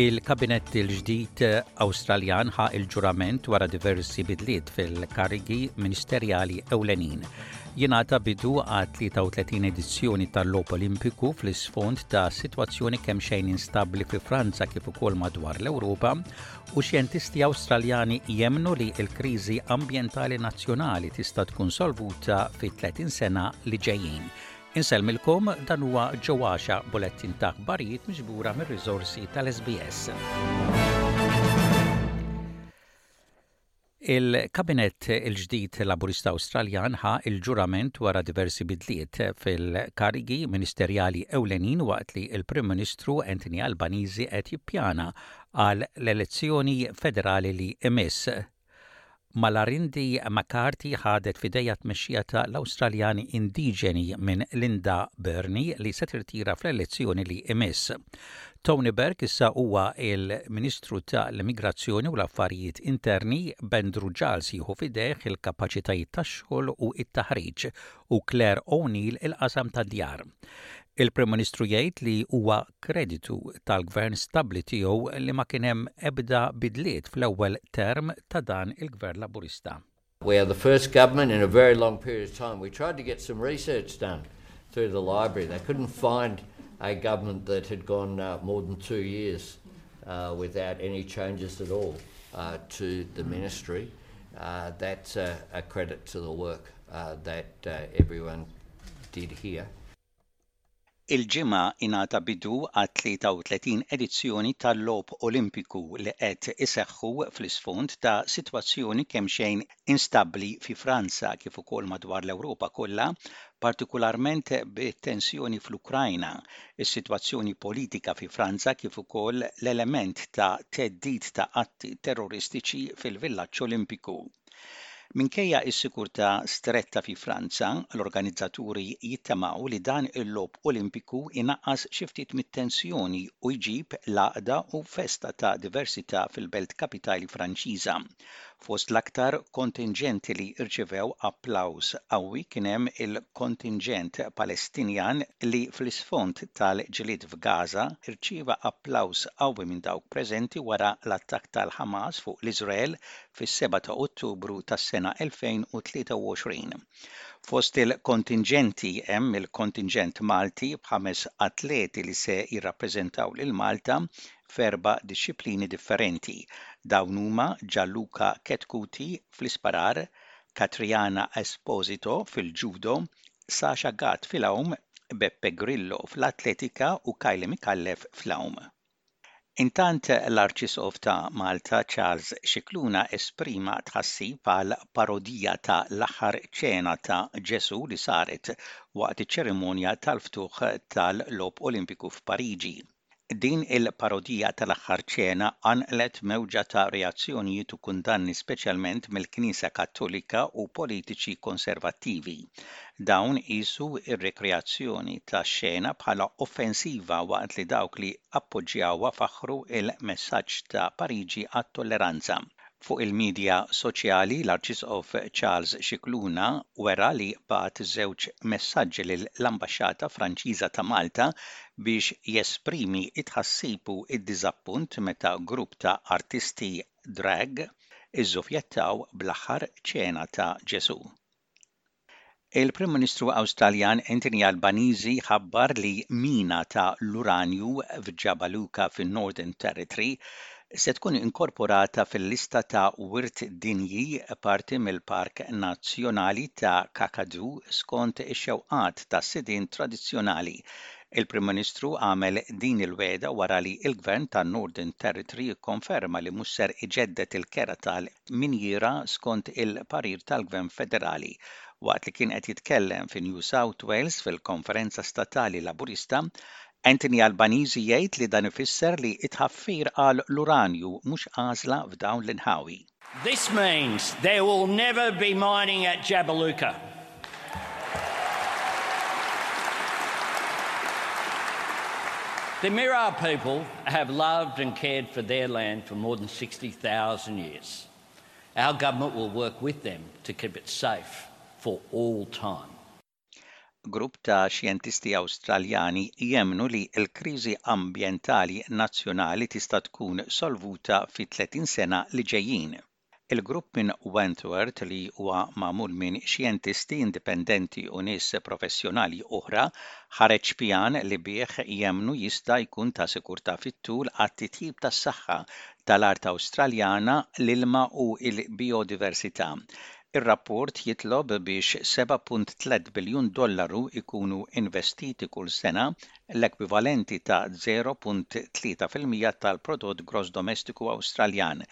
Il-Kabinett il-ġdid Awstraljan ħa il-ġurament wara diversi bidliet fil-karigi ministerjali ewlenin. Jingħata bidu għat 33 edizzjoni tal-Logħob Olimpiku fl-isfond ta' sitwazzjoni kemxejn instabbli fi Franza kif ukoll madwar l-Ewropa u xjentisti Awstraljani jemmnu li l-kriżi ambjentali nazzjonali tista' tkun solvuta fi 30 sena li ġejjin. Insellmilkom dan huwa Joe Axiaq bulettin ta' aħbarijiet miġbura mir-riżorsi tal-SBS. Il-Kabinett il-ġdid Laburista Awstraljan ħa l-ġurament wara diversi bidliet fil-karigi ministerjali ewlenin waqt li l-Prim Ministru Anthony Albanese qed jippjana għal l-elezzjoni federali li jmiss. Malarindi McCarthy ħadet f'idejha t-tmexxija ta' l-Awstraljani Indiġeni minn Linda Burney li se tirtira fl-elezzjoni li jmiss. Tony Burke issa huwa l-Ministru ta' l-Immigrazzjoni u l-Affarijiet Interni, b'Andrew Giles jieħu f'idejh il-kapaċitajiet tax-xogħol u t-taħriġ u Clare O'Neil il-qasam tad-djar. Il-Prim Ministru jgħid li huwa kreditu tal-Gvern stabbli tiegħu li ma kien hemm ebda bidliet fl-ewwel term ta' dan il-Gvern Laburista. We are the first government in a very long period of time. We tried to get some research done through the library. They couldn't find a government that had gone uh, more than two years uh, without any changes at all uh, to the ministry. Uh, that's a, a credit to the work uh, that uh, everyone did here. Il-Ġimgħa ingħata bidu għat-33 edizzjoni tal-Logħob Olimpiku li qed iseħħu fl-isfond ta' sitwazzjoni kemxejn instabbli fi Franza kif ukoll madwar l-Ewropa kollha, partikularment bit-tensjoni fl-Ukrajna, is-sitwazzjoni politika fi Franza kif ukoll l-element ta' theddid ta' atti terroristiċi fil-Villaġġ Olimpiku. Minkejja s-sigurtà stretta fi Franza, l-organizzaturi jittamaw li dan il-Logħob Olimpiku jnaqqas xi ftit mit-tensjoni u jġib l-għaqda u festa ta' diversità fil-belt kapitali Franċiża. Fost l-aktar kontinġenti li rċivew applawż qawwi kien hemm il-kontinġent Palestinjan li fl-isfond tal-ġlied f'Gaza rċieva applawż qawwi minn dawk preżenti wara l-attakk tal-Ħamas fuq l-Iżrael fis-7 ta' Ottubru tas-sena 2023. Fost il-kontinġenti hemm il-kontinġent Malti b'ħames atleti li se jirrappreżentaw lil Malta f'erba' dixxiplini differenti. Dawn huma Gianluca Chetcuti fl-isparar, Catriana Esposito fil-ġudo, Sasha Gatt fil-għawm, Beppe Grillo fl-atletika u Kylie Micallef fl-għawm. Intant l-Arċisqof ta' Malta Charles Scicluna esprima tħassib għal parodija ta' l-aħħar ċena ta' Ġesù li saret waqt iċ-ċerimonja tal-ftuħ tal-Logħob Olimpiku f'Pariġi. Din il-parodija tal-aħħar ċena qanqlet mewġa ta' reazzjonijiet u kundanni speċjalment mill-Knisja Kattolika u politiċi konservattivi. Dawn qiesu r-rikreazzjoni tax-xena bħala offensiva waqt li dawk li appoġġjawha faħħru l-messaġġ ta' Pariġi għat-tolleranza. Fuq il-midja soċjali, l-Arċisqof Charles Scicluna wera li bagħat żewġ messaġġi lill-Ambaxxata Franċiża ta' Malta biex jesprimi t-tħassib u d-diżappunt meta grupp ta' artisti drag iżżufjettaw bl-aħħar ċena ta' Ġesù. Il-Prim Ministru Awstraljan Anthony Albanese ħabbar li mina ta' l-uranju f'Jabaluka fin-Northern Territory se tkun inkorporata fil-lista ta' Wirt Dinji parti mill-Park Nazzjonali ta' Kakadu skont ix-xewqat tas-sidien tradizzjonali. Il-Prim Ministru għamel din il-wegħda wara li l-Gvern tan-Northern Territory kkonferma li mhux ser iġedded il-kera tal minjiera skont il-parir tal-Gvern Federali. Waqt li kien qed jitkellem fi New South Wales fil-konferenza statali Laburista, Anthony Albanese jgħid li dan ifisser li t-tħaffir għal l-uranju mhux għażla f'dawn l-inħawi. This means there will never be mining at Jabiluka. The Mirarr people have loved and cared for their land for more than 60,000 years. Our government will work with them to keep it safe for all time. Grupp ta' xjentisti Awstraljani jemmnu li l-kriżi ambjentali nazzjonali tista' tkun solvuta fit-30 sena li ġejjin. Il-grupp minn Wentworth li huwa magħmul minn xjentisti indipendenti u nies professjonali oħra ħareġ pjan li bih jemmnu jista' jkun ta' sikurtà fit-tul għat-titjib tas-saħħa tal-art Awstraljana, l-ilma u l-bijodiversità. Ir-rapport jitlob biex 7.3 biljun dollaru jkunu investiti kull sena, l-ekwivalenti ta' 0.3% tal-prodott gross domestiku Awstraljan.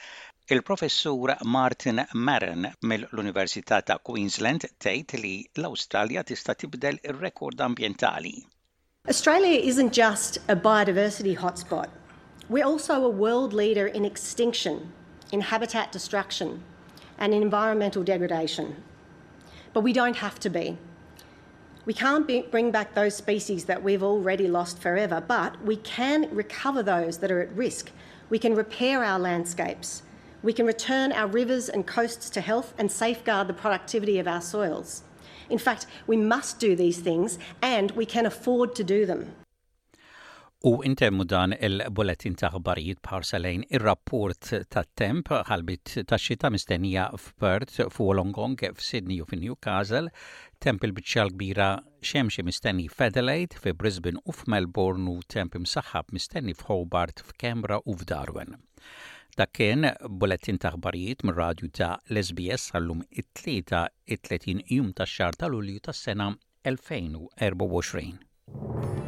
Il-Professur Martin Maron mill-Università ta' Queensland tgħid li l-Awstralja tista' tibdel ir-rekord ambjentali. Australia isn't just a biodiversity hotspot. We're also a world leader in extinction, in habitat destruction, and in environmental degradation. But we don't have to be. We can't be, bring back those species that we've already lost forever, but we can recover those that are at risk. We can repair our landscapes. We can return our rivers and coasts to health and safeguard the productivity of our soils. In fact, we must do these things and we can afford to do them. U intemmu dan il-bulletin ta' aħbarijiet b'ħarsa lejn ir-rapport tat-temp ħalbiet ta' xita mistennija f'Perth, f'Wollongong, f'Sydney u f'Newcastle, temp il-biċċa l-kbira xemxi mistenni f'Adelaide, fi Brisbane u f'Melbourne u temp imsaħħab mistenni f'Hobart, f'Canberra u f'Darwin. Dak kien bulletin ta' aħbarijiet mir-radju ta' l-SBS għallum it-Tlieta it-30 jum tax-xahar ta' Lulju tas-sena 2024.